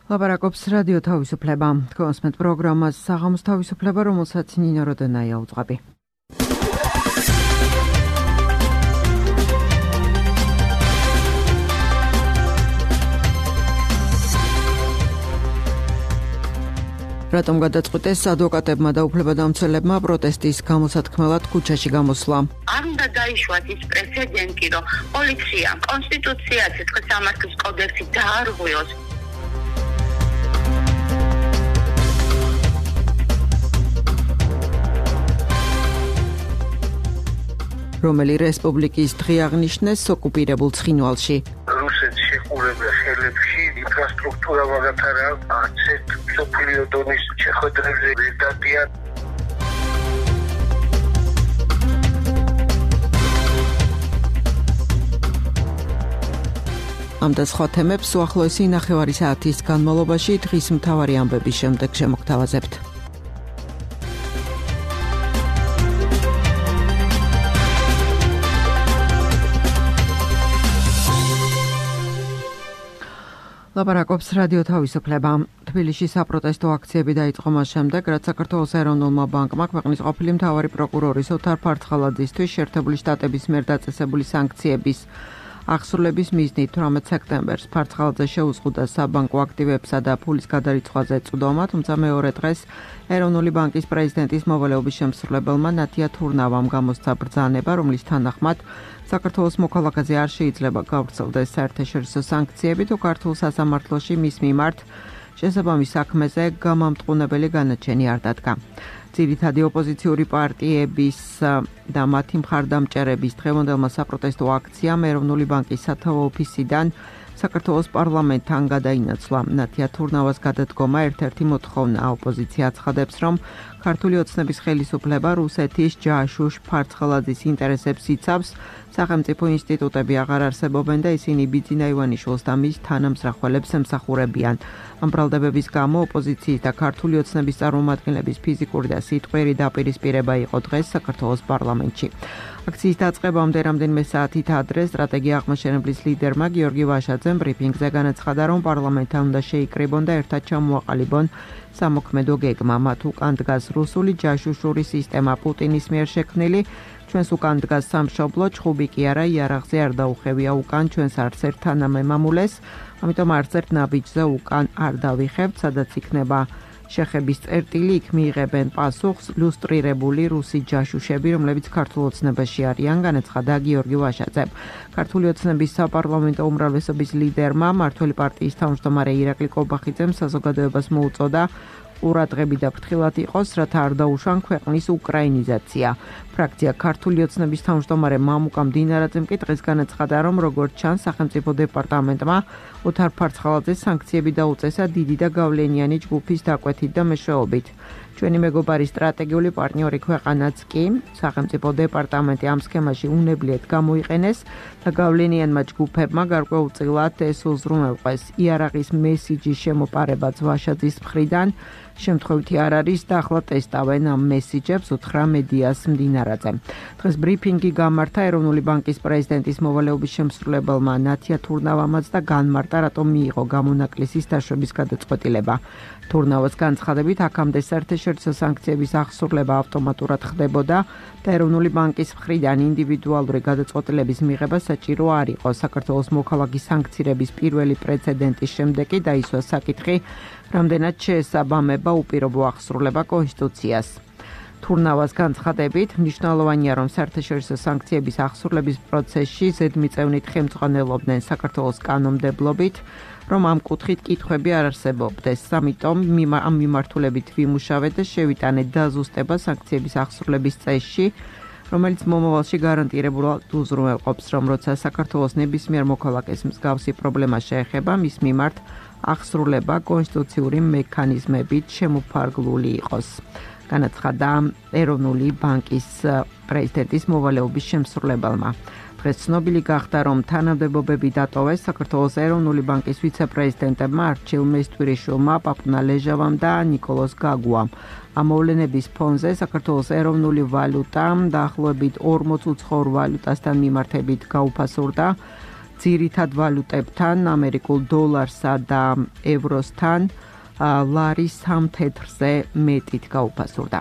ლაპარაკობს რადიო თავისუფლება. კონსმეთ პროგრამას საღამოს თავისუფლება, რომელსაც ნინო როდენაია უძღვები. რატომ გადაწყვიტეს ადვოკატებმა და უფლებადამცველებმა პროტესტის გამოსათქმელად ქუჩაში გამოსვლა? არ უნდა დაიშვათ ის პრეცედენტი, რომ პოლიცია კონსტიტუციას, სიცხეს სამართლის კოდექსი დაარღვიოს. რომელი რესპუბლიკის დღე აღნიშნეს ოკუპირებულ ცხინვალში. რუსეთს შეყურებელ ხელებში ინფრასტრუქტურა მაგათარა არცერთ მსოფლიო დონის შეხვედრებზე ვერ დადიან. ამ და სხვა თემებს უახლოესი ნახევარი საათის განმავლობაში დღის მთავარი ამბების შემდეგ შემოგთავაზებთ. ლაპარაკობს რადიო თავისუფლება. თბილისში საპროტესტო აქციები დაიწყო მას შემდეგ, რაც საქართველოს ეროვნულმა ბანკმა ქვეყნის ყოფილი მთავარი პროკურორის ოთარ ფარცხალაძისთვის შეერთებული შტატების მიერ დაწესებული სანქციების აღსრულების მიზნით 18 სექტემბერს ფარცხალაძე შეუზღუდა საბანკო აქტივებსა და ფულის გადარიცხვაზე წვდომა, თუმცა მეორე დღეს ეროვნული ბანკის პრეზიდენტის მოვალეობის შემსრულებელმა ნათია თურნავამ გამოსცა ბრძანება, რომლის თანახმად საქართველოს მოქალაქეზე არ შეიძლება გავრცელდეს საერთაშორისო სანქციები თუ ქართულ სასამართლოში მის მიმართ შესაბამის საქმეზე გამამტყუნებელი განაჩენი არ დადგა. ძირითადი ოპოზიციური პარტიების და მათი მხარდამჭერების დღევანდელმა საპროტესტო აქციამ ეროვნული ბანკის სათავო ოფისიდან საქართველოს პარლამენტთან გადაინაცვლა. ნათია თურნავას გადადგომა ერთ-ერთი მოთხოვნა. ოპოზიცია აცხადებს, რომ ქართული ოცნების ხელისუფლება რუსეთის ჯაშუშ ფარცხალაძის ინტერესებს იცავს, სახელმწიფო ინსტიტუტები აღარ არსებობენ და ისინი ბიძინა ივანიშვილს და მის თანამსახველებს ემსახურებიან. ამ ბრალდებების გამო ოპოზიციის და ქართული ოცნების წარმომადგენლების ფიზიკური და სიტყვიერი დაპირისპირება იყო დღეს საქართველოს პარლამენტში. აქციის დაწყებამდე რამდენიმე საათით ადრე სტრატეგია აღმაშენებლის ლიდერმა გიორგი ვაშაძემ ბრიფინგზე განაცხადა, რომ პარლამენტთან უნდა შეიკრიბონ და ერთად ჩამოაყალიბონ სამოქმედო გეგმა. მათ უკან დგას რუსული ჯაშუშური სისტემა პუტინის მიერ შექმნილი, ჩვენს უკან დგას სამშობლო, ჩხუბი კი არა, იარაღზე არ დაუხევია უკან ჩვენს არც ერთ თანამემამულეს, ამიტომ არც ერთ ნაბიჯზე უკან არ დავიხევთ, სადაც იქნება შეხების წერტილი, იქ მიიღებენ პასუხს ლუსტრირებული რუსი ჯაშუშები, რომლებიც ქართულ ოცნებაში არიან, განაცხადა გიორგი ვაშაძემ. ქართული ოცნების საპარლამენტო უმრავლესობის ლიდერმა მმართველი პარტიის თავმჯდომარე ირაკლი კობახიძემ საზოგადოებას მოუწოდა ყურადღები და ფრთხილად იყოს, რათა არ დაუშვან ქვეყნის უკრაინიზაცია. ფრაქცია ქართული ოცნების თავმჯდომარე მამუკა მდინარაძემ კი დღეს განაცხადა, რომ როგორც ჩანს, სახელმწიფო დეპარტამენტმა ოთარ ფარცხალაძეს სანქციები დაუწესა დიდი და გავლენიანი ჯგუფის დაკვეთით და მეშვეობით. ჩვენი მეგობარი სტრატეგიული პარტნიორი ქვეყანაც კი სახელმწიფო დეპარტამენტი ამ სქემაში უნებლიეთ გამოიყენეს და გავლენიანმა ჯგუფებმა გარკვეულწილად ეს უზრუნველყვეს. იარაღის მესიჯის შემოპარებაც ვაშაძის მხრიდან შემთხვევითი არ არის და ახლა ტესტავენ ამ მესიჯებს, უთხრა მედიას მდინარაძემ. დღეს ბრიფინგი გამართა ეროვნული ბანკის პრეზიდენტის მოვალეობის შემსრულებელმა ნათია თურნავამაც და განმარტა, რატომ მიიღო გამონაკლისის დაშვების გადაწყვეტილება. თურნავას განცხადებით, აქამდე საერთაშორისო სანქციების აღსრულება ავტომატურად ხდებოდა და ეროვნული ბანკის მხრიდან ინდივიდუალური გადაწყვეტილების მიღება საჭირო არ იყო. საქართველოს მოქალაქის სანქცირების პირველი პრეცედენტის შემდეგ კი დაისვა საკითხი, რამდენად შეესაბამება უპირობო აღსრულება კონსტიტუციას. თურნავას განცხადებით, მნიშვნელოვანია, რომ საერთაშორისო სანქციების აღსრულების პროცესში ზედმიწევნით ხელმძღვანელობდნენ საქართველოს კანონმდებლობით, რომ ამ კუთხით კითხვები არ არსებობდეს. ამიტომ ამ მიმართულებით ვიმუშავეთ და შევიტანეთ დაზუსტება სანქციების აღსრულების წესში, რომელიც მომავალში გარანტირებულად უზრუნველყოფს, რომ როცა საქართველოს ნებისმიერ მოქალაქეს მსგავსი პრობლემა შეეხება, მის მიმართ აღსრულება კონსტიტუციური მექანიზმებით შემოფარგლული იყოს. განაცხადა ეროვნული ბანკის პრეზიდენტის მოვალეობის შემსრულებელმა. დღეს ცნობილი გახდა, რომ თანამდებობები დატოვეს საქართველოს ეროვნული ბანკის ვიცე-პრეზიდენტებმა არჩილ მესტვირიშვილმა, პაპუნა ლეჟავამ და ნიკოლოზ გაგუამ. ამ მოვლენების ფონზე საქართველოს ეროვნული ვალუტა დაახლოებით 40 უცხოურ ვალუტასთან მიმართებით გაუფასურდა. ძირითად ვალუტებთან, ამერიკულ დოლარსა და ევროსთან ლარი 3 თეთრზე მეტით გაუფასურდა.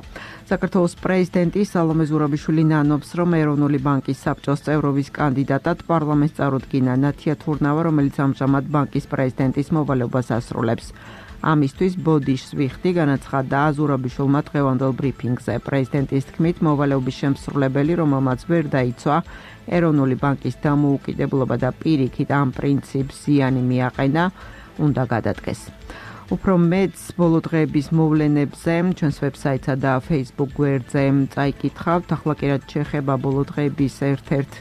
საქართველოს პრეზიდენტი სალომე ზურაბიშვილი ნანობს, რომ ეროვნული ბანკის საბჭოს წევრობის კანდიდატად პარლამენტს წარუდგინა ნათია თურნავა, რომელიც ამჟამად ბანკის პრეზიდენტის მოვალეობას ასრულებს. ამისთვის ბოდიშს ვიხდი განაცხადა ზურაბიშვილმა დღევანდელ ბრიფინგზე. პრეზიდენტის თქმით, მოვალეობის შემსრულებელი, რომელმაც ვერ დაიცვა ეროვნული ბანკის დამოუკიდებლობა და პირიქით ამ პრინციპს ზიანი მიაყენა, უნდა გადადგეს. უფრო მეტს ბოლო დღეების მოვლენებზე ჩვენს ვებსაიტსა და Facebook გვერდზე წაიკითხავთ. ახლა კი რაც შეეხება ბოლო დღეების ერთ-ერთ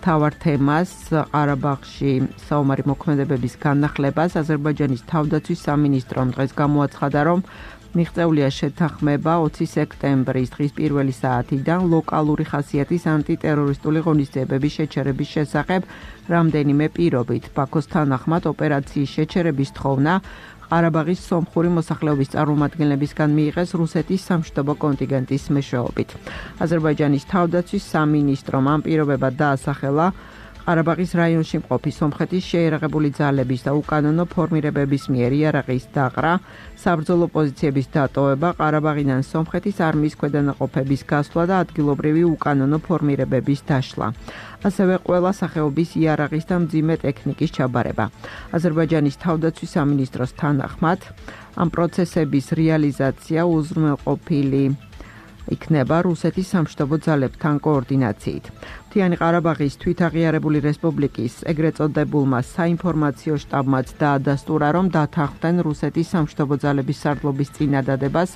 მთავარ თემას, ყარაბაღში საომარი მოქმედებების განახლებას, აზერბაიჯანის თავდაცვის სამინისტრომ დღეს გამოაცხადა, რომ მიღწეულია შეთანხმება 20 სექტემბრის დღის პირველი საათიდან ლოკალური ხასიათის ანტიტერორისტული ღონისძიებების შეჩერების შესახებ რამდენიმე პირობით. ბაქოს თანახმად ოპერაციის შეჩერების თხოვნა ყარაბაღის სომხური მოსახლეობის წარმომადგენლებისგან მიიღეს რუსეთის სამშვიდობო კონტინგენტის მეშვეობით. აზერბაიჯანის თავდაცვის სამინისტრომ ამ პირობებად დაასახელა ყარაბაღის რაიონში მყოფი სომხეთის შეიარაღებული ძალების და უკანონო ფორმირებების მიერ იარაღის დაყრა, საბრძოლო პოზიციების დატოვება, ყარაბაღიდან სომხეთის არმიის ქვედანაყოფების გასვლა და ადგილობრივი უკანონო ფორმირებების დაშლა. ასევე ყველა სახეობის იარაღის და მძიმე ტექნიკის ჩაბარება. აზერბაიჯანის თავდაცვის სამინისტროს თანახმად, ამ პროცესების რეალიზაცია უზრუნველყოფილი იქნება რუსეთის სამშვიდობო ძალებთან კოორდინაციით. მთიანი ყარაბაღის თვითაღიარებული რესპუბლიკის ეგრეთ წოდებულმა საინფორმაციო შტაბმაც დაადასტურა, რომ დათანხმდნენ რუსეთის სამშვიდობო ძალების სარდლობის წინადადებას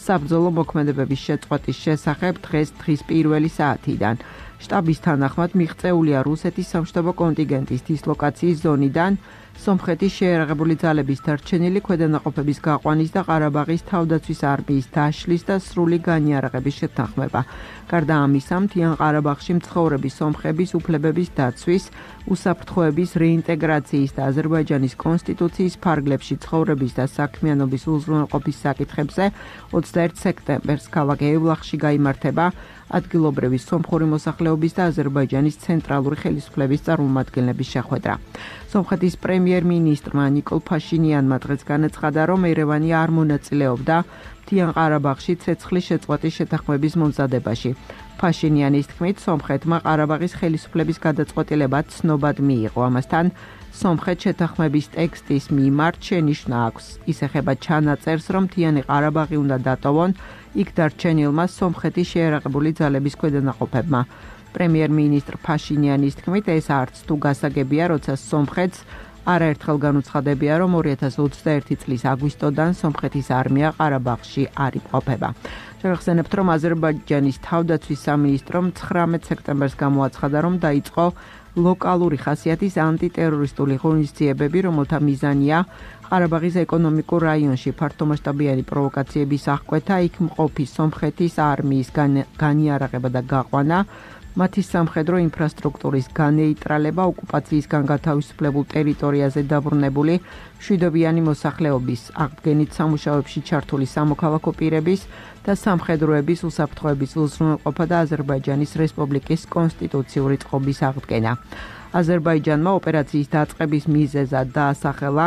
საბრძოლო მოქმედებების შეწყვეტის შესახებ დღის პირველი საათიდან. შტაბის თანახმად მიღწეულია რუსეთის სამშვიდობო კონტინგენტის დისლოკაციის ზონიდან სომხეთის შეიარაღებული ძალების დარჩენილი ქვედანაყოფების გაყვანის და ყარაბაღის თავდაცვის არმიის დაშლის და სრული განიარაღების შეთანხმება. გარდა ამისა, მთიან ყარაბაღში მცხოვრები სომხების უფლებების დაცვის, უსაფრთხოების რეინტეგრაციის და აზერბაიჯანის კონსტიტუციის ფარგლებში ცხოვრების და საქმიანობის უზრუნველყოფის საკითხებზე 21 სექტემბერს ქალაქ ევლახში გაიმართება ადგილობრივი სომხური მოსახლეობის და აზერბაიჯანის ცენტრალური ხელისუფლების წარმომადგენლების შეხვედრა. სომხეთის პრემიერ-მინისტრმა ნიკოლ ფაშინიანმა დღეს განაცხადა, რომ ერევანი არ მონაწილეობდა მთიან ყარაბაღში ცეცხლის შეწყვეტის შეთანხმების მომზადებაში. ფაშინიანის თქმით, სომხეთმა ყარაბაღის ხელისუფლების გადაწყვეტილება ცნობად მიიღო. ამასთან, სომხეთ შეთანხმების ტექსტის მიმართ შენიშვნა აქვს. ის ეხება ჩანაწერს, რომ მთიანი ყარაბაღი უნდა დატოვონ იქ დარჩენილმა სომხეთის შეიარაღებული ძალების ქვედანაყოფებმა. პრემიერ-მინისტრ ფაშინიანის თქმით, ეს არც თუ გასაგებია, როცა სომხეთს არაერთხელ განუცხადებია, რომ 2021 წლის აგვისტოდან სომხეთის არმია ყარაბაღში არ იმყოფება. შევახსენებთ, რომ აზერბაიჯანის თავდაცვის სამინისტრომ 19 სექტემბერს გამოაცხადა, რომ დაიწყო ლოკალური ხასიათის ანტიტერორისტული ღონისძიებები, რომელთა მიზანია ყარაბაღის ეკონომიკურ რაიონში ფართომასშტაბიანი პროვოკაციების აღკვეთა, იქ მყოფი სომხეთის არმიის განიარაღება და გაყვანა, მათი სამხედრო ინფრასტრუქტურის განეიტრალება, ოკუპაციისგან გათავისუფლებულ ტერიტორიაზე დაბრუნებული მშვიდობიანი მოსახლეობის აღდგენით სამუშაოებში ჩართული სამოქალაქო პირების და სამხედროების უსაფრთხოების უზრუნველყოფა და აზერბაიჯანის რესპუბლიკის კონსტიტუციური წყობის აღდგენა. აზერბაიჯანმა ოპერაციის დაწყების მიზეზად დაასახელა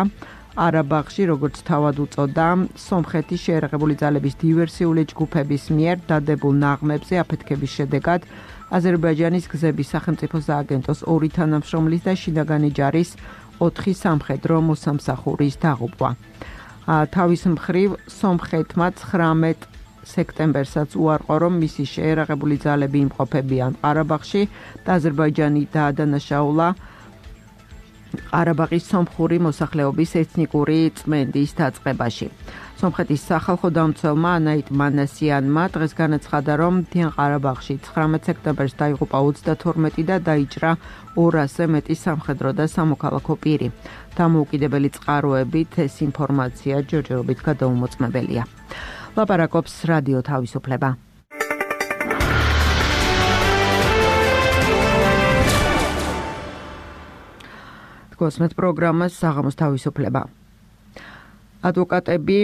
ყარაბაღში, როგორც თავად უწოდა, სომხეთის შეიარაღებული ძალების დივერსიული ჯგუფების მიერ დადებულ ნაღმებზე აფეთქების შედეგად აზერბაიჯანის გზების სახელმწიფო სააგენტოს 2 თანამშრომლის და შინაგანი ჯარის 4 სამხედრო მოსამსახურის დაღუპვა. თავის მხრივ, სომხეთმა 19 სექტემბერსაც უარყო, რომ მისი შეიარაღებული ძალები იმყოფებიან ყარაბაღში და აზერბაიჯანი დაადანაშაულა ყარაბაღის სომხური მოსახლეობის ეთნიკური წმენდის დაწყებაში. სომხეთის სახალხო დამცველმა ანაიტ მანასიანმა დღეს განაცხადა, რომ მთიან ყარაბაღში 19 სექტემბერს დაიღუპა 32 და დაიჭრა 200-ზე მეტი სამხედრო და სამოქალაქო პირი. დამოუკიდებელი წყაროებით ეს ინფორმაცია ჯერჯერობით გადაუმოწმებელია. ლაპარაკობს რადიო თავისუფლება. გოსმეთ პროგრამას საღამოს თავისუფლება. ადვოკატები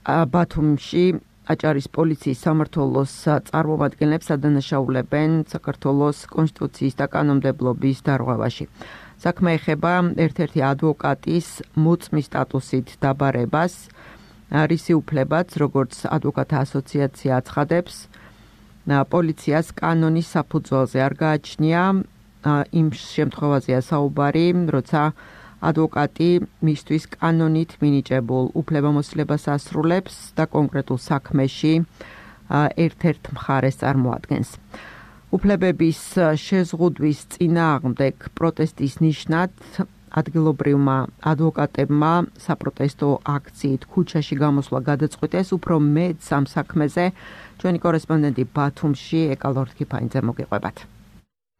ბათუმში აჭარის პოლიციის სამმართველოს წარმომადგენლებს ადანაშაულებენ საქართველოს კონსტიტუციის და კანონმდებლობის დარღვევაში. საქმე ეხება ერთ-ერთი ადვოკატის მოწმის სტატუსით დაბარებას, რისი უფლებაც, როგორც ადვოკატთა ასოციაცია აცხადებს, პოლიციას კანონის საფუძველზე არ გააჩნია. იმ შემთხვევაზეა საუბარი, როცა ადვოკატი მისთვის კანონით მინიჭებულ უფლებამოსილებას ასრულებს და კონკრეტულ საქმეში ერთ-ერთ მხარეს წარმოადგენს. უფლებების შეზღუდვის წინააღმდეგ პროტესტის ნიშნად ადგილობრივმა ადვოკატებმა საპროტესტო აქციით ქუჩაში გამოსვლა გადაწყვიტეს. უფრო მეტს ამ საქმეზე ჩვენი კორესპონდენტი ბათუმში ეკალორთ ქიფაინძე მოგიყვებათ.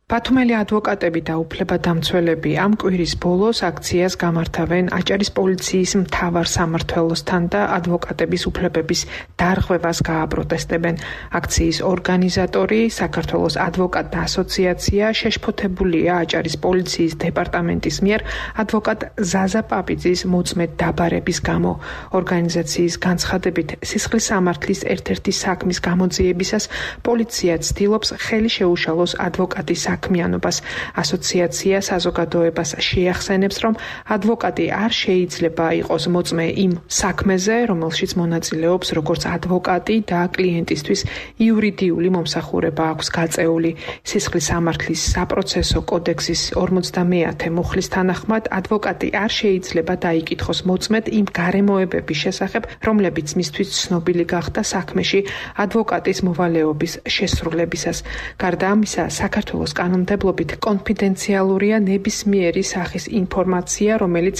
ბათუმელი ადვოკატები და უფლებადამცველები ამ კვირის ბოლოს აქციას გამართავენ აჭარის პოლიციის მთავარ სამმართველოსთან და ადვოკატების უფლებების დარღვევას გააპროტესტებენ. აქციის ორგანიზატორი, საქართველოს ადვოკატთა ასოციაცია შეშფოთებულია აჭარის პოლიციის დეპარტამენტის მიერ ადვოკატ ზაზა პაპიძის მოწმედ დაბარების გამო. ორგანიზაციის განცხადებით, სისხლის სამართლის ერთ-ერთი საქმის გამოძიებისას პოლიცია ცდილობს ხელი შეუშალოს ადვოკატის საქმიანობას. ასოციაცია საზოგადოებას შეახსენებს, რომ ადვოკატი არ შეიძლება იყოს მოწმე იმ საქმეზე, რომელშიც მონაწილეობს როგორც ადვოკატი და კლიენტისთვის იურიდიული მომსახურება აქვს გაწეული. სისხლის სამართლის საპროცესო კოდექსის 50-ე მუხლის თანახმად ადვოკატი არ შეიძლება დაიკითხოს მოწმედ იმ გარემოებების შესახებ, რომლებიც მისთვის ცნობილი გახდა საქმეში ადვოკატის მოვალეობის შესრულებისას. გარდა ამისა, საქართველოს კანონმდებლობით კონფიდენციალურია ნებისმიერი სახის ინფორმაცია, რომელიც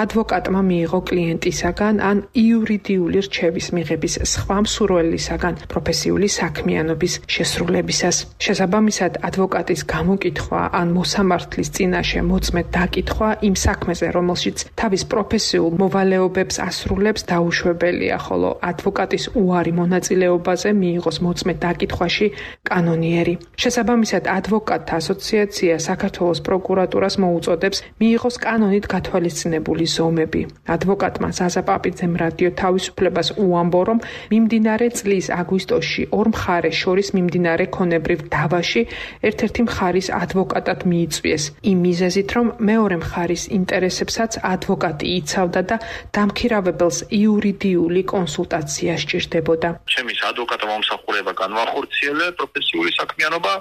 ადვოკატმა მიიღო კლიენტისაგან ან იურიდიული რჩევის მიღების სხვა მსურველისაგან პროფესიული საქმიანობის შესრულებისას. შესაბამისად, ადვოკატის გამოკითხვა ან მოსამართლის წინაშე მოწმედ დაკითხვა იმ საქმეზე, რომელშიც თავის პროფესიულ მოვალეობებს ასრულებს, დაუშვებელია, ხოლო ადვოკატის უარი მონაწილეობაზე მიიღოს მოწმედ დაკითხვაში კანონიერი. შესაბამისად, ადვოკატთა ასოციაცია საქართველოს პროკურატურას მოუწოდებს მიიღოს კანონით გათვალისწინებული ზომები. ადვოკატმა ზაზა პაპიძემ რადიო თავისუფლებას უამბო, რომ მიმდინარე წლის აგვისტოში ორ მხარეს შორის მიმდინარე ქონებრივ დავაში ერთ-ერთი მხარის ადვოკატად მიიწვიეს. იმ მიზეზით, რომ მეორე მხარის ინტერესებსაც ადვოკატი იცავდა და დამქირავებელს იურიდიული კონსულტაცია სჭირდებოდა. ჩემი ადვოკატო მომსახურება განვახორციელე პროფესიული საქმიანობა,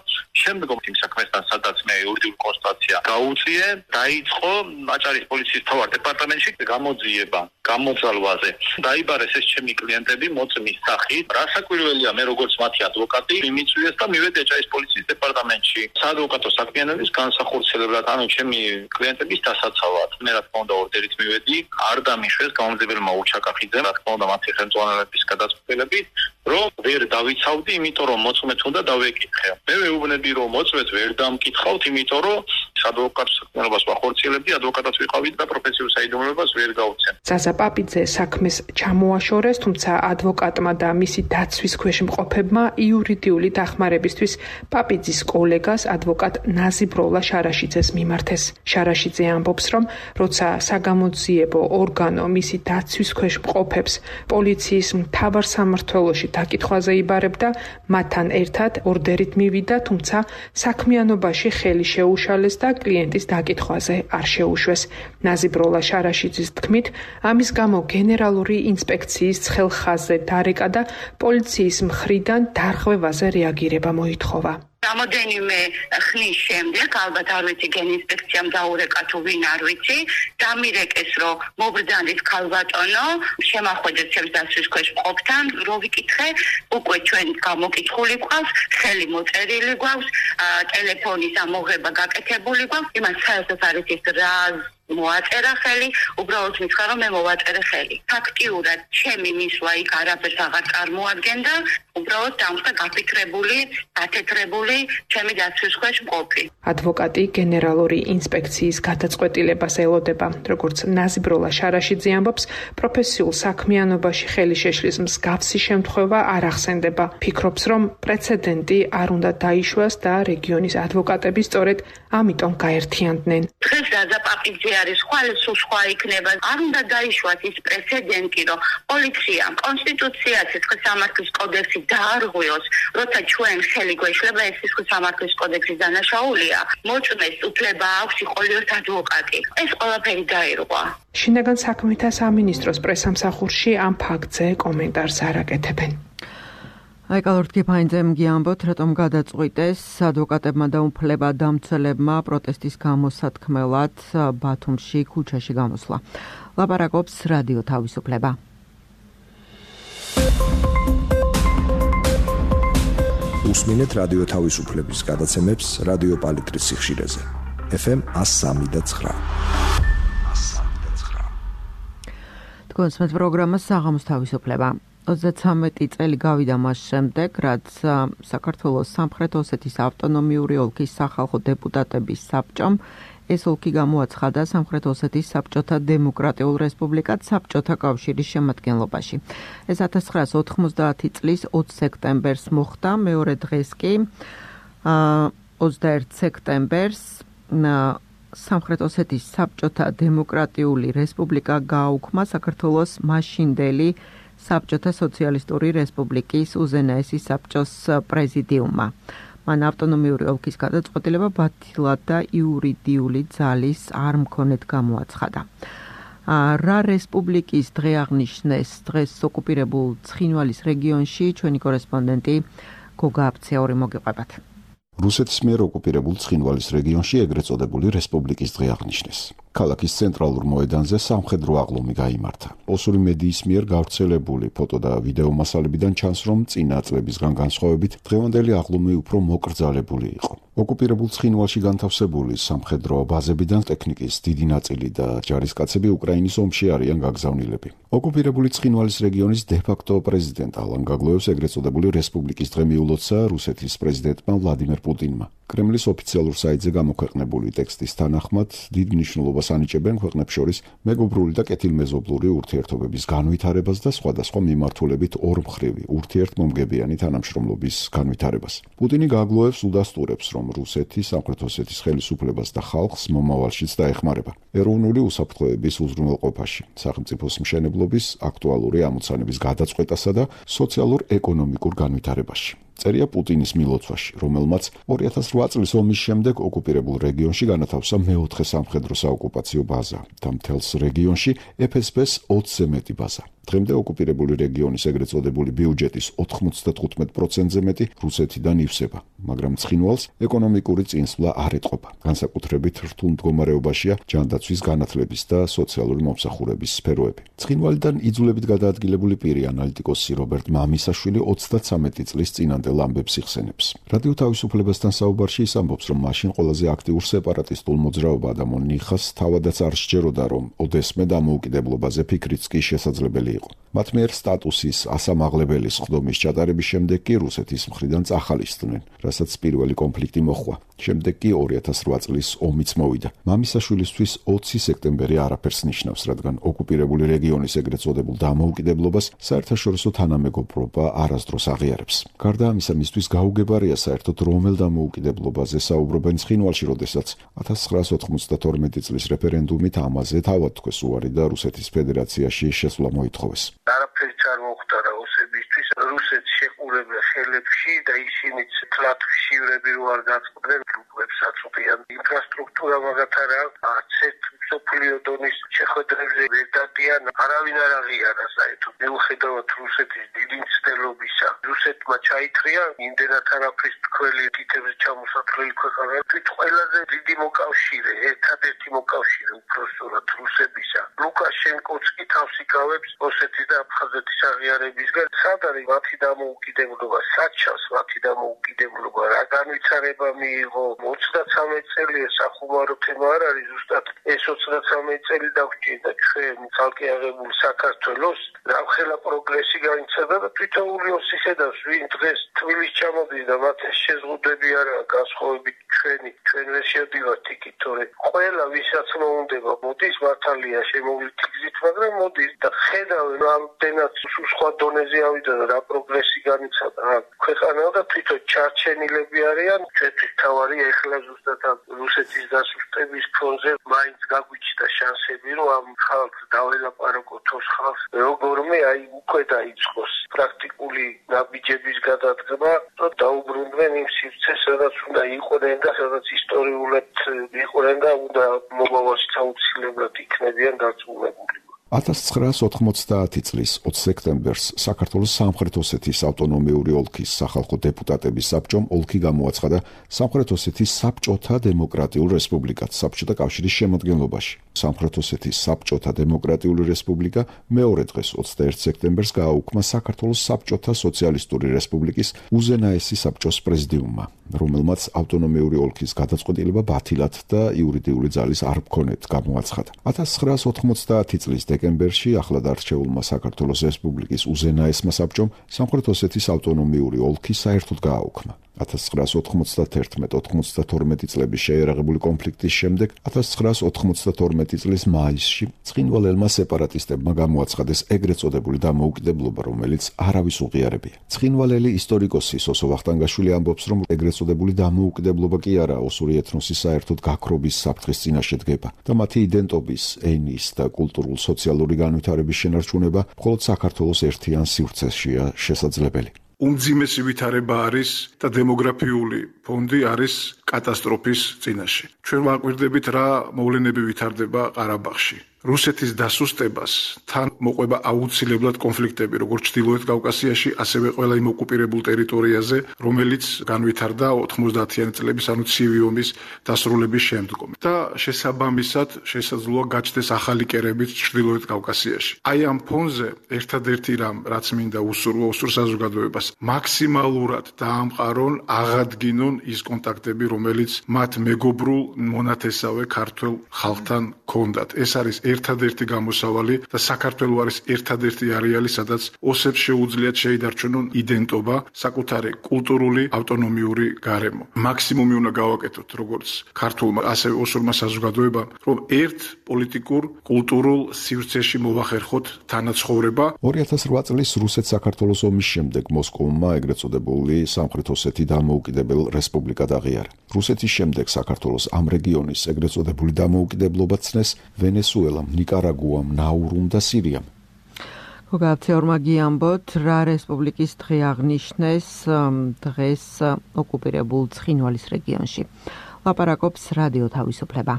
შემდგომ იმ საქმესთან სადაც მე იურიდიული კონსულტაცია გაუწიე, დაიწყო აჭარის პოლიციის მთავარ დეპარტამენტში გამოძიება გამოძალვაზე. დაიბარეს ეს ჩემი კლიენტები მოწმის სახით. რასაკვირველია, მე როგორც მათი ადვოკატი მიმიწვიეს და მივედი აჭარის პოლიციის დეპარტამენტში საადვოკატო საქმიანობის განსახორციელებლად, ანუ ჩემი კლიენტების დასაცავად. მე რა თქმა უნდა ორდერით მივედი, არ დამიშვეს გამომძიებელმა უჩაკახიძემ, რა თქმა უნდა მათი ხელმძღვანელების გადაწყვეტილებით, რომ ვერ დავიცავდი, იმიტომ რომ მოწმეთ უნდა დავეკითხე. მე ვეუბნები, რომ მოწმეთ ვერ დამკითხავთ, იმიტომ რომ ადვოკატო საქმიანობას ვახორციელებდი, ადვოკატად ვიყავი და პროფესიულ საიდუმლოებას ვერ გავუცემ. ზაზა პაპიძე საქმეს ჩამოაშორეს, თუმცა ადვოკატმა და მისი დაცვის ქვეშ მყოფებმა იურიდიული დახმარებისთვის პაპიძის კოლეგას ადვოკატ ნაზიბროლა შარაშიძეს მიმართეს. შარაშიძე ამბობს, რომ როცა საგამოძიებო ორგანო მისი დაცვის ქვეშ მყოფებს პოლიციის მთავარ სამმართველოში დაკითხვაზე იბარებდა, მათთან ერთად ორდერით მივიდა, თუმცა საქმიანობაში ხელი შეუშალეს და კლიენტის დაკითხვაზე არ შეუშვეს. ნაზიბროლა შარაშიძის თქმით, ამის გამო გენერალური ინსპექციის ცხელხაზზე დარეკა და პოლიციის მხრიდან დარღვევაზე რეაგირება მოითხოვა. Რამოდენიმე ხნის შემდეგ, ალბათ არ ვიცი გენინსპექციამ დაურეკა თუ ვინ არ ვიცი, დამირეკეს, რომ მობრძანეთ ქალბატონო, შემახვედეთ ჩემს დაცვის ქვეშ მყოფთან, რო ვიკითხე, უკვე ჩვენ გამოკითხული გვყავს, ხელი მოწერილი გვაქვს, ტელეფონის ამოღება გაკეთებული გვაქვს, იმას საერთოდ არის ის რა მოაწერა ხელი, უბრალოდ მითხრა, რომ მე მოვაწერე ხელი. ფაქტიურად ჩემი მისვლა იქ არაფერს აღარ წარმოადგენდა, უბრალოდ დამხდა გაფიქრებული, გათეთრებული ჩემი დაცვის ქვეშ მყოფი. ადვოკატი გენერალური ინსპექციის გადაწყვეტილებას ელოდება. როგორც ნაზიბროლა შარაშიძე ამბობს, პროფესიულ საქმიანობაში ხელი შეშლის მსგავსი შემთხვევა არ ახსენდება. ფიქრობს, რომ პრეცედენტი არ უნდა დაიშვას და რეგიონის ადვოკატები სწორედ ამიტომ გაერთიანდნენ. დღეს ზაზა პაპიძე არის სხვა სულ სხვა იქნება. არ უნდა დაიშვათ ის პრეცედენტი, რომ პოლიციამ კონსტიტუცია სისხლის სამართლის კოდექსი დაარღვიოს, როცა ჩვენ ხელი გვეშლება ეს სისხლის სამართლის კოდექსის დანაშაულია, მოწმეს უფლება აქვს იყოლიოს ადვოკატი. ეს ყველაფერი დაირღვა. შინაგან საქმეთა სამინისტროს პრესამსახურში ამ ფაქტზე კომენტარს არ აკეთებენ. აი კალორტკი ფაინძემ გიამბოთ, რატომ გადაწყვიტეს ადვოკატებმა და უფლება დამცველებმა პროტესტის გამოსათქმელად ბათუმში ქუჩაში გამოსვლა. ლაპარაკობს რადიო თავისუფლება. უსმინეთ რადიო თავისუფლების გადაცემებს რადიო პალიტრის სიხშირეზე. FM 103.9. თქვენს მე პროგრამა საღამოს თავისუფლება. 33 წელი გავიდა მას შემდეგ, რაც საქართველოს სამხრეთ ოსეთის ავტონომიური ოლქის სახალხო დეპუტატების საბჭომ ეს ოლქი გამოაცხადა სამხრეთ ოსეთის საბჭოთა დემოკრატიულ რესპუბლიკად საბჭოთა კავშირის შემადგენლობაში. ეს 1990 წლის 20 სექტემბერს მოხდა, მეორე დღეს კი 21 სექტემბერს სამხრეთ ოსეთის საბჭოთა დემოკრატიული რესპუბლიკა გააუქმა საქართველოს მაშინდელი საბჭოთა სოციალისტური რესპუბლიკის უზენაესი საბჭოს პრეზიდიუმმა. მან ავტონომიური ოლქის გადაწყვეტილება ბათილად და იურიდიული ძალის არ მქონედ გამოაცხადა. რა რესპუბლიკის დღე აღნიშნეს დღეს ოკუპირებულ ცხინვალის რეგიონში ჩვენი კორესპონდენტი გოგა აფცეორი მოგიყვებათ. რუსეთის მიერ ოკუპირებულ ცხინვალის რეგიონში ეგრეთ წოდებული რესპუბლიკის დღე აღნიშნეს. ქალაქის ცენტრალურ მოედანზე სამხედრო აღლუმი გაიმართა. ოსური მედიის მიერ გავრცელებული ფოტო და ვიდეო მასალებიდან ჩანს, რომ წინა წლებისგან განსხვავებით დღევანდელი აღლუმი უფრო მოკრძალებული იყო. ოკუპირებულ ცხინვალში განთავსებული სამხედრო ბაზებიდან ტექნიკის დიდი ნაწილი და ჯარისკაცები უკრაინის ომში არიან გაგზავნილები. ოკუპირებული ცხინვალის რეგიონის დე-ფაქტო პრეზიდენტ ალან გაგლოევს ეგრეთ წოდებული რესპუბლიკის დღე მიულოცა რუსეთის პრეზიდენტმა ვლადიმერ პუტინმა. კრემლის ოფიციალურ საიტზე გამოქვეყნებული ტექსტის თანახმად დიდ მნიშვნელობას ანიჭებენ ქვეყნებს შორის მეგობრული და კეთილმეზობლური ურთიერთობების განვითარებას და სხვადასხვა მიმართულებით ორმხრივი ურთიერთმომგებიანი თანამშრომლობის განვითარებას. პუტინი გაგლოევს უდასტურებს, რომ რუსეთი სამხრეთ ოსეთის ხელისუფლებას და ხალხს მომავალშიც დაეხმარება ეროვნული უსაფრთხოების უზრუნველყოფაში, სახელმწიფოს მშენებლობის აქტუალური ამოცანების გადაწყვეტასა და სოციალურ-ეკონომიკურ განვითარებაში. წერია პუტინის მილოცვაში, რომელმაც 2008 წლის ომის შემდეგ ოკუპირებულ რეგიონში განათავსა მეოთხე სამხედრო საოკუპაციო ბაზა და მთელს რეგიონში FSB-ს 20-ზე მეტი ბაზა. დღემდე ოკუპირებული რეგიონის ეგრეთ წოდებული ბიუჯეტის 95%-ზე მეტი რუსეთიდან ივსება, მაგრამ ცხინვალს ეკონომიკური წინსვლა არ ეტყობა. განსაკუთრებით რთულ მდგომარეობაშია ჯანდაცვის განათლების და სოციალური მომსახურების სფეროები. ცხინვალიდან იძულებით გადაადგილებული პირი ანალიტიკოსი რობერტ მამისაშვილი 33 წლის წინანდელ ამბებს იხსენებს. რადიო თავისუფლებასთან საუბარში ის ამბობს, რომ მაშინ ყველაზე აქტიურ სეპარატისტულ მოძრაობა ადამონ ნიხას თავადაც არ სჯეროდა, რომ ოდესმე დამოუკიდებლობაზე ფიქრიც კი შესაძლებელი იყო. მათ მიერ სტატუსის ასამაღლებელი სხდომის ჩატარების შემდეგ კი რუსეთის მხრიდან წახალისდნენ, რასაც პირველი კონფლიქტი მოჰყვა. შემდეგ კი 2008 წლის ომიც მოვიდა. მამისაშვილისთვის 20 სექტემბერი არაფერს ნიშნავს, რადგან ოკუპირებული რეგიონის ეგრეთ წოდებულ დამოუკიდებლობას საერთაშორისო თანამეგობრობა არასდროს აღიარებს. გარდა ამისა, მისთვის გაუგებარია საერთოდ რომელ დამოუკიდებლობაზე საუბრობენ ცხინვალში, როდესაც 1992 წლის რეფერენდუმით ამაზე თავად თქვეს უარი და რუსეთის ფედერაციაში შესვლა მოითხოვეს. არაფერიც არ მოხდა რა ოსებისთვის რუსეთს შეყურებდა ხელებში და ისინიც თლათ ხშირები რო არ გაწყდნენ გლუბებსაც უყიან ინფრასტრუქტურა მაგათ არა არცერთ სოფლიო დონის შეხვედრებზე ვერ დადიან არავინ არ აღიარა საერთოდ მიუხედავად რუსეთის დიდი მცდელობისა რუსეთმა ჩაითრია იმდენად არაფრის თქველი თითების ჩამოსათვლელი ქვეყანა თვით ყველაზე დიდი მოკავშირე ერთადერთი მოკავშირე უпроსტորად რუსებისა ლუკაშენკოც კი თავს იკავებს ოსეთის და აფხაზეთის აღიარებისგან სად არის მათი დამოუკიდებლობა საჩავს მათი დამოუკიდებლობა რა განვითარება მიიღო 33 წელია სახუმარო თემა არ არის ზუსტად ეს 33 წელი დაგვჭირდა ჩვენ ცალკე აღებულ საქართველოს რამხელა პროგრესი განიცადა და თვითონული ოსის ედავს ვინ დღეს თბილისში ჩამოდის და მათ შეზღუდვები არა განსხვავებით ჩვენ ვერ შევდივართ იქით თორე ყველა ვისაც მოუნდება მოდის მართალია შემოვლით გზით მაგრამ მოდის და ხედავენ ამდენად სხვა დონეზე ავიდა რა პროგრესი განიცადა ქვეყანა და თვითონ ჩარჩენილები არიან ჩვენთვის თავარი ეხლა ზუსტად რუსეთის დასუსტების ფონზე მაინც გაგვიჩნდა შანსები რომ ამ ხალხს დაველაპარაკოთ თოს ხალხს როგორმე აი უკვე დაიწყოს პრაქტიკული ნაბიჯების გადადგმა და დაუბრუნდნენ იმ სივრცეს სადაც უნდა იყვნენ და სადაც ისტორიულად იყვნენ და უნდა მომავალში აუცილებლად იქნებიან დაწუნებული 1990 წლის 20 სექტემბერს საქართველოს სამხრეთ ოსეთის ავტონომიური ოლქის სახალხო დეპუტატების საბჭომ ოლქი გამოაცხადა სამხრეთ ოსეთის საბჭოთა დემოკრატიულ რესპუბლიკად საბჭოთა კავშირის შემადგენლობაში. სამხრეთ ოსეთის საბჭოთა დემოკრატიული რესპუბლიკა მეორე დღეს 21 სექტემბერს გააუქმა საქართველოს საბჭოთა სოციალისტური რესპუბლიკის უზენაესი საბჭოს პრეზიდიუმმა, რომელმაც ავტონომიური ოლქის გადაწყვეტილება ბათილად და იურიდიული ძალის არ მქონეთ გამოაცხადა. 1990 წლის დეკემბერში ახლად არჩეულმა საქართველოს რესპუბლიკის უზენაესმა საბჭომ სამხრეთ ოსეთის ავტონომიური ოლქი საერთოდ გააუქმა. 1991-92 წლების შეიარაღებული კონფლიქტის შემდეგ 1992 წლის მაისში ცხინვალელმა სეპარატისტებმა გამოაცხადეს ეგრეთ წოდებული დამოუკიდებლობა, რომელიც არავის უღიარებია. ცხინვალელი ისტორიკოსი სოსო ვახტანგაშვილი ამბობს, რომ ეგრეთ წოდებული დამოუკიდებლობა კი არა ოსური ეთნოსის საერთოდ გაქრობის საფრთხის წინაშე დგება და მათი იდენტობის, ენის და კულტურულ-სოციალური განვითარების შენარჩუნება მხოლოდ საქართველოს ერთიან სივრცეშია შესაძლებელი. უმძიმესი ვითარება არის და დემოგრაფიული ფონდი არის კატასტროფის წინაშე. ჩვენ ვაკვირდებით რა მოვლენები ვითარდება ყარაბაღში. რუსეთის დასუსტებას თან მოყვება აუცილებლად კონფლიქტები, როგორც ჩრდილოეთ კავკასიაში, ასევე ყველა იმ ოკუპირებულ ტერიტორიაზე, რომელიც განვითარდა 90-იანი წლების, ანუ ცივი ომის დასრულების შემდგომ. და შესაბამისად შესაძლოა გაჩნდეს ახალი კერებიც ჩრდილოეთ კავკასიაში. აი ამ ფონზე ერთადერთი რამ, რაც მინდა უსურვო ოსურ საზოგადოებას, მაქსიმალურად დაამყარონ, აღადგინონ ის კონტაქტები, რომელიც მათ მეგობრულ მონათესავე ქართველ ხალხთან ჰქონდათ. ეს არის ერთადერთი გამოსავალი და საქართველო არის ერთადერთი არეალი, სადაც ოსებს შეუძლიათ შეიდარჩენონ იდენტობა, საკუთარი კულტურული ავტონომიური გარემო. მაქსიმუმი უნდა გავაკეთოთ, როგორც ქართულმა, ასევე ოსურმა საზოგადოებამ, რომ ერთ პოლიტიკურ, კულტურულ სივრცეში მოვახერხოთ თანაცხოვრება. 2008 წლის რუსეთ-საქართველოს ომის შემდეგ მოსკოვმა ეგრეთ წოდებული სამხრეთ ოსეთი დამოუკიდებელ რესპუბლიკად აღიარა. რუსეთის შემდეგ საქართველოს ამ რეგიონის ეგრეთ წოდებული დამოუკიდებლობა ცნეს ვენესუელამ, ნიკარაგუამ, ნაურუმ და სირიამ. გოგაცეორმა გიამბოთ, რა რესპუბლიკის დღე აღნიშნეს დღეს ოკუპირებულ ცხინვალის რეგიონში. ლაპარაკობს რადიო თავისუფლება.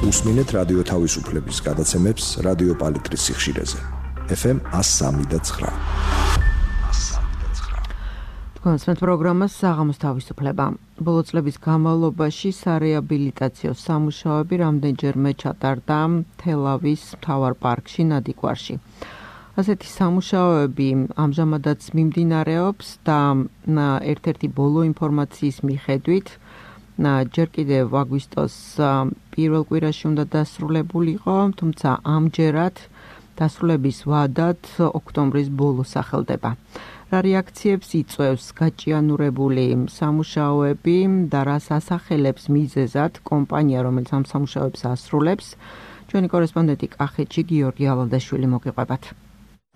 უსმინეთ რადიო თავისუფლების გადაცემებს რადიო პალიტრის სიხშირეზე. FM 103.9. კონსმეთ პროგრამას საღამოს თავისუფლება. ბოლო წლების განმავლობაში სარეაბილიტაციო სამუშაოები რამდენჯერმე ჩატარდა თელავის მთავარ პარკში ნადიგვარში. ასეთი სამუშაოები ამჟამადაც მიმდინარეობს და ერთ-ერთი ბოლო ინფორმაციის მიხედვით ჯერ კიდევ აგვისტოს პირველ კვირაში უნდა დასრულებულიყო, თუმცა ამჯერად დასრულების ვადად ოქტომბრის ბოლოს სახელდება. რა რეაქციებს იწვევს გაჭიანურებული სამუშაოები და რას ასახელებს მიზეზად კომპანია, რომელიც ამ სამუშაოებს ასრულებს, ჩვენი კორესპონდენტი კახეთში გიორგი ალადაშვილი მოგიყვებათ.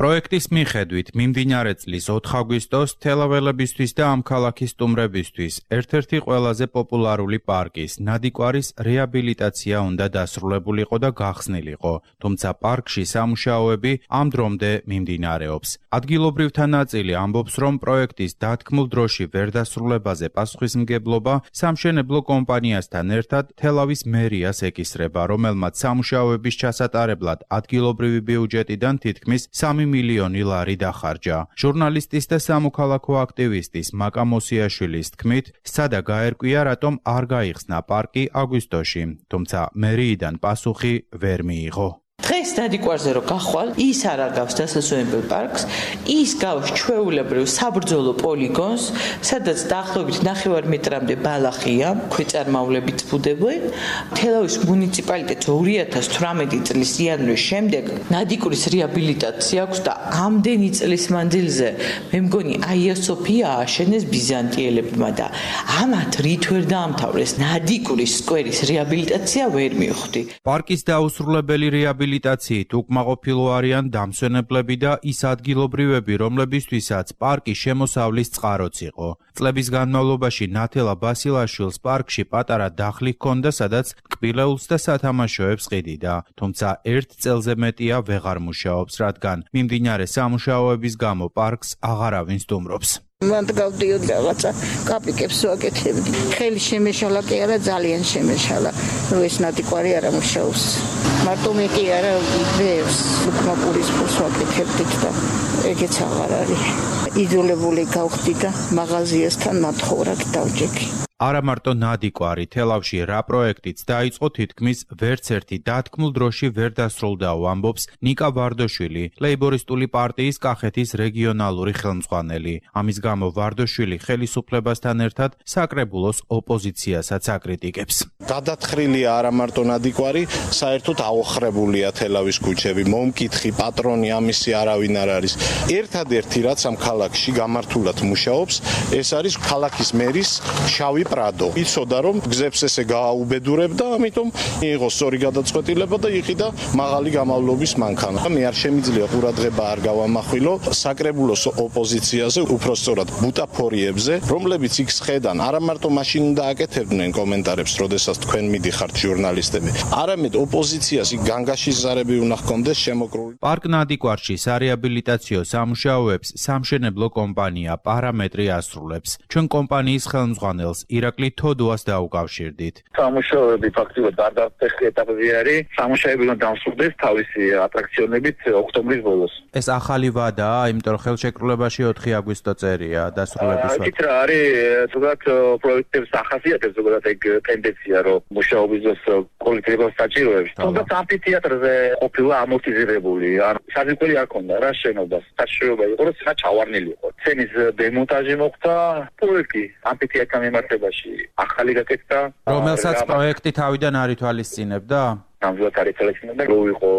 პროექტის მიხედვით მიმდინარე წლის 4 აგვისტოს თელაველებისთვის და ამ ქალაქის სტუმრებისთვის ერთ-ერთი ყველაზე პოპულარული პარკის ნადიგვარის რეაბილიტაცია უნდა დასრულებულიყო და გახსნილიყო, თუმცა პარკში სამუშაოები ამ დრომდე მიმდინარეობს. ადგილობრივთა ნაწილი ამბობს, რომ პროექტის დათქმულ დროში ვერ დასრულებაზე პასუხისმგებლობა სამშენებლო კომპანიასთან ერთად თელავის მერიას ეკისრება, რომელმაც სამუშაოების ჩასატარებლად ადგილობრივი ბიუჯეტიდან თითქმის 3 მილიონი ლარი დახარჯა. ჟურნალისტის და სამოქალაქო აქტივისტის მაკა მოსიაშვილის თქმით, სცადა გაერკვია, რატომ არ გაიხსნა პარკი აგვისტოში, თუმცა მერიიდან პასუხი ვერ მიიღო. დღეს ნადიგვარზე რო გახვალ, ის არ აგავს დასასვენებელ პარკს, ის გავს ჩვეულებრივ საბრძოლო პოლიგონს, სადაც დაახლოებით 9 მეტრამდე ბალახია, ქვეწარმავლებით ბუდებენ. თელავის მუნიციპალიტეტს 2018 წლის იანვრის შემდეგ ნადიგვრის რეაბილიტაცია აქვს და ამდენი წლის მანძილზე მე მგონი აია სოფია ააშენეს ბიზანტიელებმა და ამათ რით ვერ დაამთავრეს ნადიგვრის სკვერის რეაბილიტაცია ვერ მივხვდი. პარკის დაუსრულებელი რეაბილიტაცია რეაბილიტაციით უკმაყოფილო არიან დამსვენებლები და ის ადგილობრივები, რომლებისთვისაც პარკი შემოსავლის წყაროც იყო. წლების განმავლობაში ნათელა ბასილაშვილს პარკში პატარა დახლი ჰქონდა, სადაც კბილეულს და სათამაშოებს ყიდიდა, თუმცა 1 წელზე მეტია ვეღარ მუშაობს, რადგან მიმდინარე სამუშაოების გამო პარკს აღარავინ სტუმრობს. მანდ გავდიოდ რაღაცა კაპიკებს ვაკეთებდი. ხელი შემეშალა კი არა, ძალიან შემეშალა. ეს ნადიკვარი არ ამუშაობს. მარტო მე კი არა, ვერს უკმაყურის ფულს ვაკეთებდი და ეგეც აღარ არის. იზოლებული გავხდი და მაღაზიასთან მათხოვრად დავჭექი. არა მარტო ნადიკვარი, თელავში რა პროექტიც დაიწყო თითქმის ვერც ერთი დათქმულ დროში ვერ დასრულდაო, ამბობს ნიკა ვარდოშვილი, ლეიბორისტული პარტიის კახეთის რეგიონალური ხელმძღვანელი. ამის გამო ვარდოშვილი ხელისუფლებასთან ერთად საკრებულოს ოპოზიციასაც აკრიტიკებს. გადათხრილია არა მარტო ნადიკვარი, საერთოდ აოხრებულია თელავის ქუჩები, მომკითხი, პატრონი ამისი არავინ არ არის. ერთადერთი რაც ამ ქალაქში გამართულად მუშაობს, ეს არის ქალაქის მერის შავი პრადო. იცოდა რომ გზებს ესე გააუბედურებდა, ამიტომ მიიღო სწორი გადაწყვეტილება და იყიდა მაღალი გამავლობის მანქანა. მე არ შემიძლია ყურადღება არ გავამახვილო საკრებულოს ოპოზიციაზე, უпростоრად ბუტაფორიებზე, რომლებიც იქ სხედან არა მარტო მაშინ დააკეთებდნენ კომენტარებს, როდესაც თქვენ მიდიხართ ჟურნალისტები. არამედ ოპოზიციას იქ განგაშის ზარები უნდა ჰქონდეს შემოკრული. პარკ ნადიკვარში სარეაბილიტაციო სამუშაოებს სამშენებლო კომპანია პარამეტრი ასრულებს. ჩვენ კომპანიის ხელმძღვანელს ირაკლი თოდუას დაუკავშირდით. სამუშაოები ფაქტობრივად დარდაფეხი ეტაპზე არის. სამუშაოები უნდა დამსრულდეს თავისი ატრაქციონებით ოქტომბრის ბოლოს. ეს ახალი ვადაა, იმიტომ რომ ხელშეკრულებაში 4 აგვისტო წერია დასრულების ვადა. იცით რა არის, ზოგადად პროექტებს ახასიათებს, ზოგადად ეგ ტენდენცია, რომ მუშაობის დროს კოლექტივებს საჭიროებს. თუმცა ამფითეატრზე ყოფილა ამორტიზირებული. ან საზღვარი არ ქონდა რა შენობას. საშუალება იყო, რომ სცენა ჩავარნილი იყო. სცენის დემონტაჟი მოხდა, პროექტი ამფითეატრთან მიმართებაში ახალი გაკეთდა. რომელსაც პროექტი თავიდან არ ითვალისწინებდა? ნამდვილად არ ითვალისწინებდა, რო იყო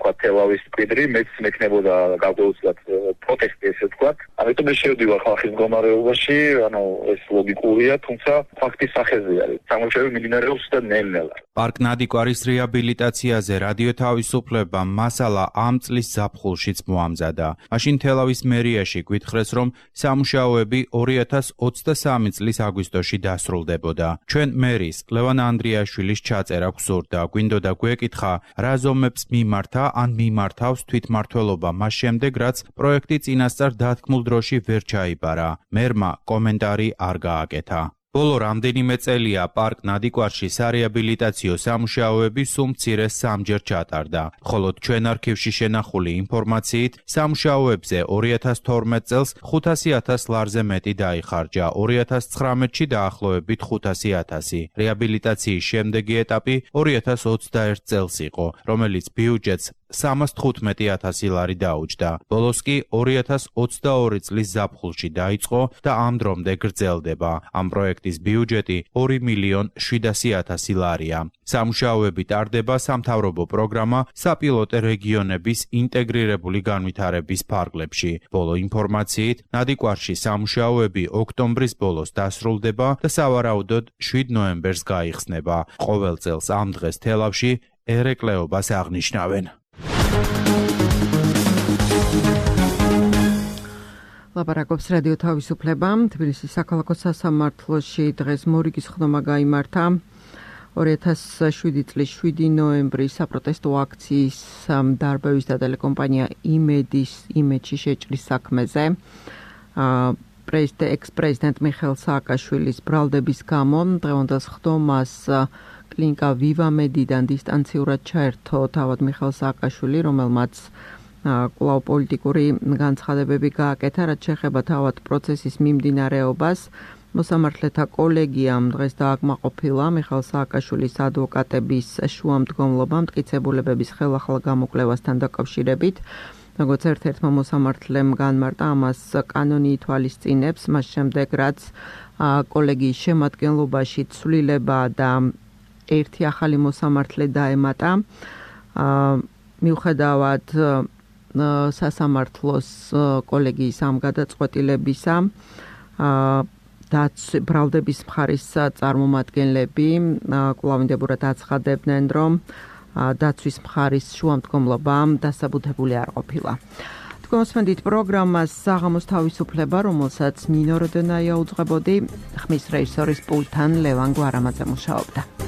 თქვა თელავის კვიდრი, მეც მექნებოდა გავდეუცლად პროტესტი ესე თქვა. ამიტომ მე შევდივარ ხალხის მდგომარეობაში, ანუ ეს ლოგიკურია, თუმცა ფაქტის სახეზე არის. სამუშაოები მიმდინარეობს და ნელ-ნელა. პარკ ნადიკვარის რეაბილიტაციაზე რადიო თავისუფლებამ მასალა ამ წლის ზაფხულშიც მოამზადა. მაშინ თელავის მერიაში გვითხრეს, რომ სამუშაოები 2023 წლის აგვისტოში დასრულდებოდა. ჩვენ მერის ლევან ანდრიაშვილის ჩაწერა გსურდა, გვინდოდა გვეკითხა, რა ზომებს მიმართა ან მიმართავს თვითმმართველობა მას შემდეგ, რაც პროექტი წინასწარ დათქმულ დროში ვერ ჩაიბარა. მერმა კომენტარი არ გააკეთა. ბოლო რამდენიმე წელია პარკ ნადიკვარში სარეაბილიტაციო სამუშაოები სულ მცირე 3-ჯერ ჩატარდა, ხოლო ჩვენ არქივში შენახული ინფორმაციით სამუშაოებზე 2012 წელს 500.000 ლარზე მეტი დაიხარჯა, 2019-ში დაახლოებით 500.000. რეაბილიტაციის შემდეგი ეტაპი 2021 წელს იყო, რომელიც ბიუჯეტს 315.000 ლარი დაუჯდა. ბოლოს კი 2022 წლის ზაფხულში დაიწყო და ამ დრომდე გრძელდება. ამ პროექტის ბიუჯეტი 2.700.000 ლარია. სამუშაოები ტარდება სამთავრობო პროგრამა საპილოტე რეგიონების ინტეგრირებული განვითარების ფარგლებში. ბოლო ინფორმაციით, ნადიკვარში სამუშაოები ოქტომბრის ბოლოს დასრულდება და სავარაუდოდ 7 ნოემბერს გაიხსნება. ყოველ წელს ამ დღეს თელავში ერეკლეობას აღნიშნავენ. ლაპარაკობს რადიო თავისუფლება. თბილისის საქალაქო სასამართლოში დღეს მორიგის ხდომა გაიმართა 2007 წლის 7 ნოემბრის საპროტესტო აქციის დარბევის და ტელეკომპანია იმედში შეჭრის საქმეზე. ექს-პრეზიდენტ მიხეილ სააკაშვილის ბრალდების გამო დღევანდელ ხდომას კლინიკა ვივამედიდან დისტანციურად ჩაერთო თავად მიხეილ სააკაშვილი, რომელმაც კვლავ პოლიტიკური განცხადებები გააკეთა, რაც შეეხება თავად პროცესის მიმდინარეობას. მოსამართლეთა კოლეგიამ დღეს დააკმაყოფილა მიხეილ სააკაშვილის ადვოკატების შუამდგომლობა მტკიცებულებების ხელახლა გამოკვლევასთან დაკავშირებით. როგორც ერთ-ერთმა მოსამართლემ განმარტა, ამას კანონი ითვალისწინებს, მას შემდეგ რაც კოლეგიის შემადგენლობაში ცვლილება და ერთი ახალი მოსამართლე დაემატა. მიუხედავად სასამართლოს კოლეგიის ამ გადაწყვეტილებისა, ბრალდების მხარის წარმომადგენლები კვლავინდებურად აცხადებდნენ, რომ დაცვის მხარის შუამდგომლობამ დასაბუთებული არ ყოფილა. Თქვენსმენდით პროგრამას საღამოს თავისუფლება, რომელსაც ნინო როდონაია უძღვებოდი, ხმის რეჟისორის პულტთან ლევან გვარამაძე მუშაობდა.